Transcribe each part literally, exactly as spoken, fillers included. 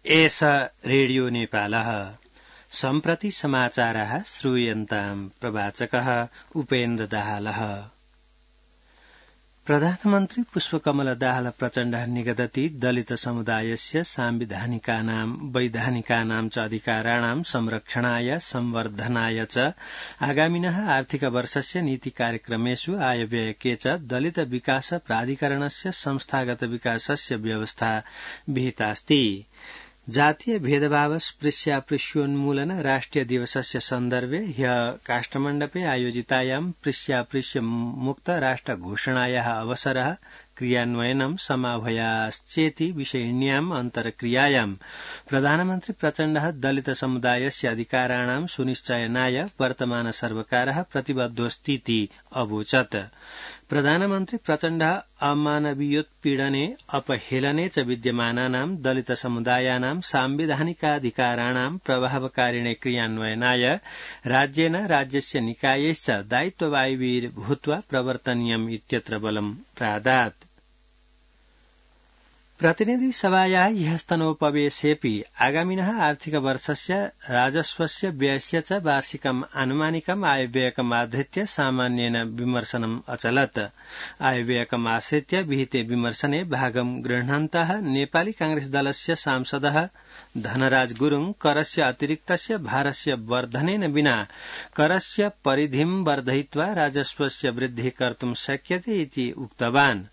एष रेडियो नेपालः सम्प्रति समाचाराः श्रूयन्ताम् प्रवाचकः उपेन्द्र दाहालः। प्रधानमन्त्री पुष्पकमल दाहाल प्रचण्डः निगदति दलित समुदायस्य सांविधानिकानां वैधानिकानां च अधिकाराणां संरक्षणाय संवर्धनाय च आगामिनः आर्थिक वर्षस्य नीति कार्यक्रमेषु आयव्ययके च दलित विकास प्राधिकरणस्य संस्थागत विकासस्य व्यवस्था विहितास्ति। जातीय भेदभाव स्पृश्यापृश्योन्मूलन राष्ट्रिय दिवसस्य सन्दर्भे ह्य काष्ठमण्डपे आयोजितायां स्पृश्यापृश्य मुक्त राष्ट्र घोषणायाः अवसरः क्रियान्वयनं समाह्वयाश्चेति विषयिण्याम् अन्तर्क्रियायां प्रधानमन्त्री प्रचण्डः दलित समुदायस्य अधिकाराणां सुनिश्चयनाय वर्तमान सर्वकारः प्रतिबद्धोऽस्तीति अवोचत्। प्रधानमन्त्री प्रचण्डः अमानवीयोत्पीडने अपहेलने च विद्यमानानां दलित समुदायानां सांविधानिकाधिकाराणां प्रभावकारिणे क्रियान्वयनाय राज्येन राज्यस्य निकायैश्च दायित्ववायवीर्भूत्वा प्रवर्तनीयम् इत्यत्र बलं प्रादात्। प्रतिनिधि सभायाः ह्यस्तनोपवेशेऽपि आगामिनः आर्थिक वर्षस्य राजस्वस्य व्ययस्य च वार्षिकम् आनुमानिकम् आयव्ययकम् आधृत्य सामान्येन विमर्शनम् अचलत्। आयव्ययकम् आश्रित्य विहिते विमर्शने भागं गृह्णन्तः नेपाली कांग्रेस दलस्य सांसदः धनराज गुरुङ करस्य अतिरिक्तस्य भारस्य वर्धनेन विना करस्य परिधिं वर्धयित्वा राजस्वस्य वृद्धिः कर्तुं शक्यते इति उक्तवान्।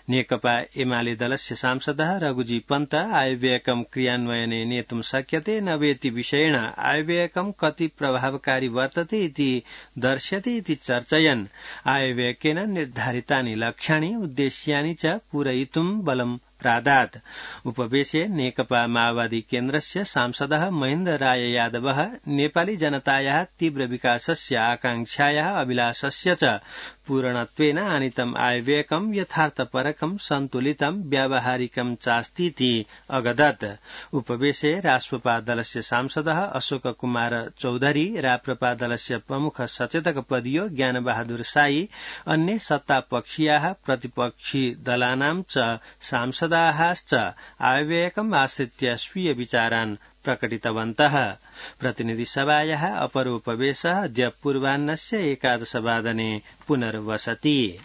नेकपा एमाले दलस्य सांसदः रघुजी पन्त आयव्ययकं क्रियान्वयने नेतुं शक्यते न वेति विषयेण आयव्ययकं कति प्रभावकारी वर्तते इति दर्श्यते इति चर्चयन् आयव्ययकेन निर्धारितानि लक्ष्याणि उद्देश्यानि च पूरयितुं बलं प्रादात्। उपवेशे नेकपा माओवादी केन्द्रस्य सांसदः महेन्द्र राय यादवः नेपाली जनतायाः तीव्र विकासस्य आकांक्षायाः अभिलाषस्य च पूरणत्वेन आनीतम् आयव्ययकं यथार्थपरकं सन्तुलितं व्यावहारिकं चास्तीति अगदत्। उपवेशे राष्ट्रपा दलस्य सांसदः अशोक कुमार चौधरी, राप्रपा दलस्य प्रमुख सचेतक पदीयो ज्ञानबहादुर साई, अन्ये सत्तापक्षीयाः प्रतिपक्षी दलानां च सांसदाश्च आयव्ययकम् आश्रित्य स्वीय विचारान् प्रकटितवन्तः। प्रतिनिधि सभायाः अपरोपवेशः अद्य पूर्वाह्नस्य एकादशवादने पुनर्वसति।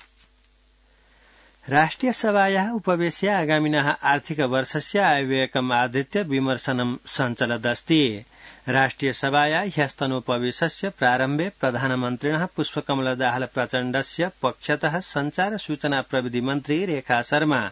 राष्ट्रिय सभायाः उपवेशे आगामिनः आर्थिक वर्षस्य आयव्ययकम् आधृत्य विमर्शनं सञ्चलदस्ति। राष्ट्रिय सभाया ह्यस्तनोपवेशस्य प्रारम्भे प्रधानमन्त्रिणः पुष्पकमल दाहाल प्रचण्डस्य पक्षतः संचार सूचना प्रविधि मन्त्री रेखा शर्मा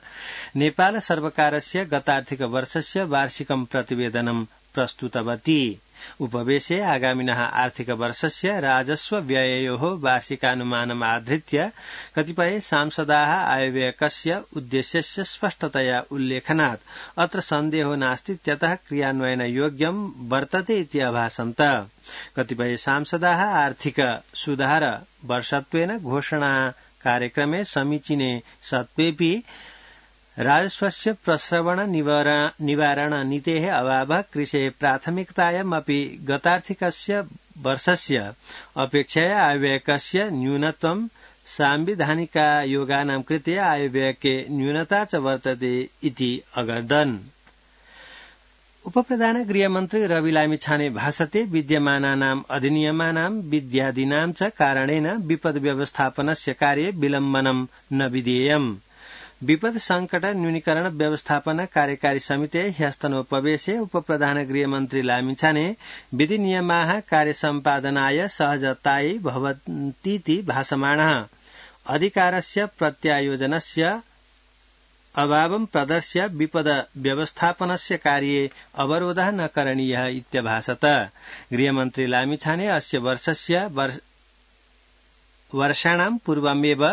नेपाल सर्वकारस्य गतार्थिक वर्षस्य वार्षिकं प्रतिवेदनं प्रस्तुतवती। उपवेशे आगामिनः आर्थिक वर्षस्य राजस्व व्यययोः वार्षिकानुमानम् आधृत्य कतिपय सांसदाः आयव्ययकस्य उद्देश्यस्य स्पष्टतया उल्लेखनात् अत्र सन्देहो नास्ति इत्यतः क्रियान्वयनयोग्यं वर्तते इति अभासन्त। कतिपय सांसदाः आर्थिक सुधार वर्षत्वेन घोषणा कार्यक्रमे समीचीने सत्त्वेऽपि राजस्वस्य प्रस्रवण निवारण नीतेः अभावः कृषेः प्राथमिकतायाम् अपि गतार्थिकस्य वर्षस्य अपेक्षया आयव्ययकस्य न्यूनत्वं सांविधानिकायोगानां कृते आयव्ययके न्यूनता च वर्तते इति अगदन्। उपप्रधान गृहमन्त्री रवि लामिछाने भाषते विद्यमानानाम् अधिनियमानां विद्यादीनां च कारणेन विपद व्यवस्थापनस्य कार्ये विलम्बनं न विधेयम्। विपद संकट न्यूनीकरण व्यवस्थापन कार्यकारी समिते ह्यस्तनोपवेशे उपप्रधान गृहमन्त्री लामिछाने विधि नियमाः कार्यसम्पादनाय सहजतायै भवन्तीति भाषमाणः अधिकारस्य प्रत्यायोजनस्य अभावं प्रदर्श्य विपद व्यवस्थापनस्य कार्ये अवरोधः न करणीयः इत्यभाषत। गृहमन्त्री लामिछाने अस्य वर्षस्य वर्षाणां पूर्वमेव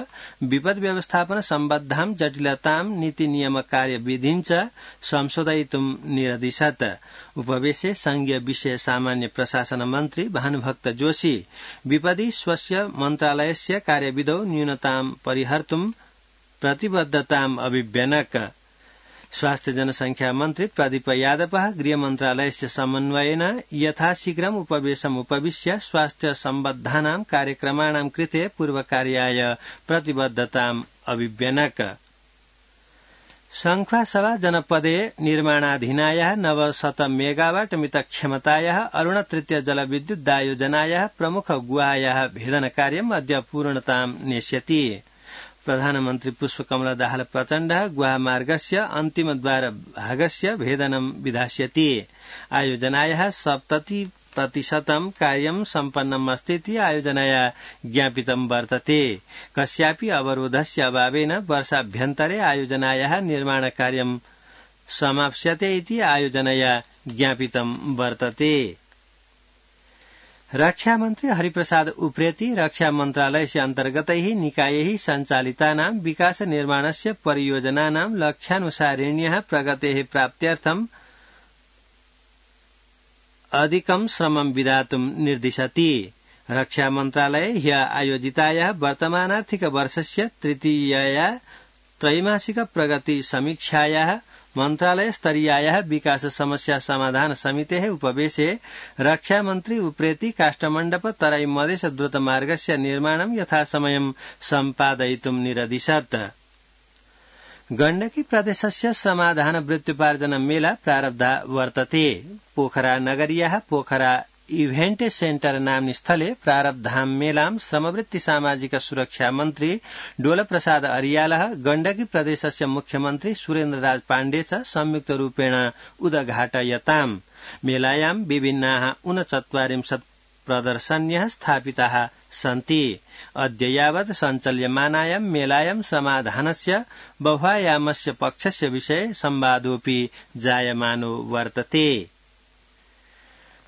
विपद व्यवस्थापन सम्बद्धां जटिलतां नीति नियम कार्यविधिं च संशोधयितुं निरदिशत्। उपवेशे संघीय विषय सामान्य प्रशासन मन्त्री भानुभक्त जोशी विपदि स्वस्य मन्त्रालयस्य कार्यविधौ न्यूनतां परिहर्तुं प्रतिबद्धताम् अभिव्यनक। स्वास्थ्य जनसंख्या मन्त्री प्रदीप यादवः गृहमन्त्रालयस्य समन्वयेन यथाशीघ्रम् उपवेशम् उपविश्य स्वास्थ्य सम्बद्धानां कार्यक्रमाणां कृते पूर्वकार्याय प्रतिबद्धताम् अभिव्यनक। शङ्ख्वासभा जनपदे निर्माणाधीनायाः नवशत मेगावाट मित क्षमतायाः अरुण तृतीय जलविद्युद्दायोजनायाः प्रमुख गुहायाः भेदनकार्यम् अद्य पूर्णतां नेष्यति। प्रधानमन्त्री पुष्पकमल दाहाल प्रचण्डः गुहामार्गस्य अन्तिमद्वार भागस्य भेदनं विधास्यति। आयोजनायाः सप्तति प्रतिशतं कार्यं सम्पन्नम् अस्तीति आयोजनया ज्ञापितं वर्तते। कस्यापि अवरोधस्य अभावेन वर्षाभ्यन्तरे आयोजनायाः निर्माणकार्यं समाप्स्यते इति आयोजनया ज्ञापितं वर्तते। रक्षामन्त्री हरिप्रसाद उप्रेती रक्षा मन्त्रालयस्य अन्तर्गतैः निकायैः सञ्चालितानां विकास निर्माणस्य परियोजनानां लक्ष्यानुसारिण्यः प्रगतेः प्राप्त्यर्थं अधिकं श्रमं विधातुं निर्दिशति। रक्षा मन्त्रालये ह्य आयोजितायाः वर्तमानार्थिक वर्षस्य तृतीयया त्रैमासिक प्रगति समीक्षायाः मन्त्रालय स्तरीयायाः विकास समस्या समाधान समितेः उपवेशे रक्षा मन्त्री उप्रेती काष्ठमण्डप तराई मधेस द्रुतमार्गस्य निर्माणं यथासमयं सम्पादयितुं निरदिशत्। गण्डकी प्रदेशस्य श्रमाधान वृत्त्युपार्जन मेला प्रारब्धा वर्तते। पोखरा नगरीयाः पोखरा इभेन्ट सेन्टर नाम्नि स्थले प्रारब्धां मेलां श्रमवृत्ति सामाजिक सुरक्षा मन्त्री डोल प्रसाद अरियालः गण्डकी प्रदेशस्य मुख्यमन्त्री सुरेन्द्र राज पाण्डे च संयुक्त रूपेण उद्घाटयताम्। मेलायां विभिन्नाः ऊनचत्वारिंशत् प्रदर्शन्यः स्थापिताः सन्ति। अद्य यावत् सञ्चाल्यमानायां मेलायां समाधानस्य बहुआयामस्य पक्षस्य विषये संवादोऽपि जायमानो वर्तते।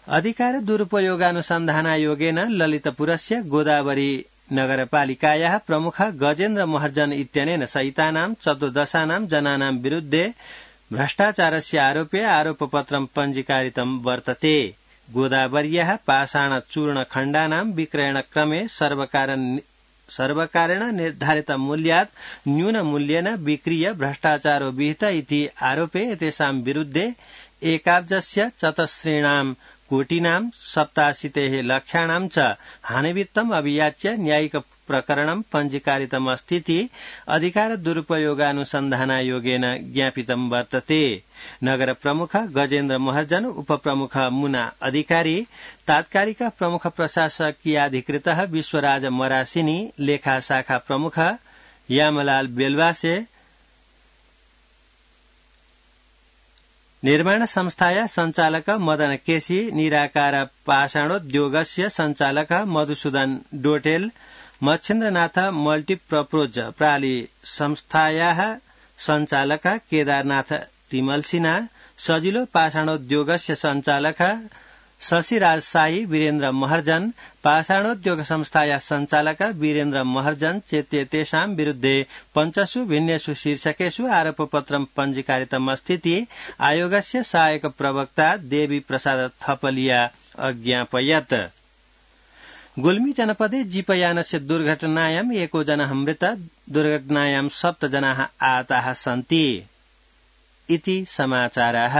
अधिकार दुरुपयोगानुसन्धानायोगेन ललितपुरस्य गोदावरी नगरपालिकायाः प्रमुख गजेन्द्र महर्जन इत्यनेन सहितानां चतुर्दशानां जनानां विरुद्धे भ्रष्टाचारस्य आरोपे आरोपपत्रं पञ्जीकारितं वर्तते। गोदावर्याः पाषाणचूर्णखण्डानां विक्रयणक्रमे सर्वकारेण निर्धारित मूल्यात् न्यूनमूल्येन विक्रीय भ्रष्टाचारो विहित इति आरोपे एतेषां विरुद्धे एकाब्जस्य चतस्रीणां कोटिनां सप्ताशीतेः लक्षाणां च हानिवित्तम् अभियाच्य न्यायिक प्रकरणं पञ्जीकारितमस्तीति अधिकार दुरुपयोगानुसन्धानायोगेन ज्ञापितं वर्तते। नगर प्रमुख गजेन्द्र महर्जन, उपप्रमुख मुना अधिकारी, तात्कालिक प्रमुख प्रशासकीयाधिकृतः विश्वराज मरासिनी, लेखा शाखा प्रमुख यामलाल बेलवासे, निर्माण संस्थाया संचालक मदन केसी, निराकार पाषाणोद्योगस्य संचालक मधुसूदन डोटेल, मच्छिन्द्रनाथ मल्टीपर्पोज प्राली संस्थायाः संचालक केदारनाथ तिमल सिन्हा, सजिलो पाषाणोद्योगस्य संचालक शशिराज साई, वीरेन्द्र महर्जन, पाषाणोद्योग संस्थाया संचालक वीरेन्द्र महर्जन चेत्येतेषां विरुद्धे पञ्चसु भिन्नेषु शीर्षकेषु आरोपपत्रं पञ्जीकारितमस्तीति आयोगस्य सहायक प्रवक्ता देवी प्रसाद थपलिया अज्ञापयत्। गुल्मी जनपदे जीपयानस्य दुर्घटनायां एको जनः मृतः, दुर्घटनायां सप्त जनाः आहताः सन्ति इति समाचाराः।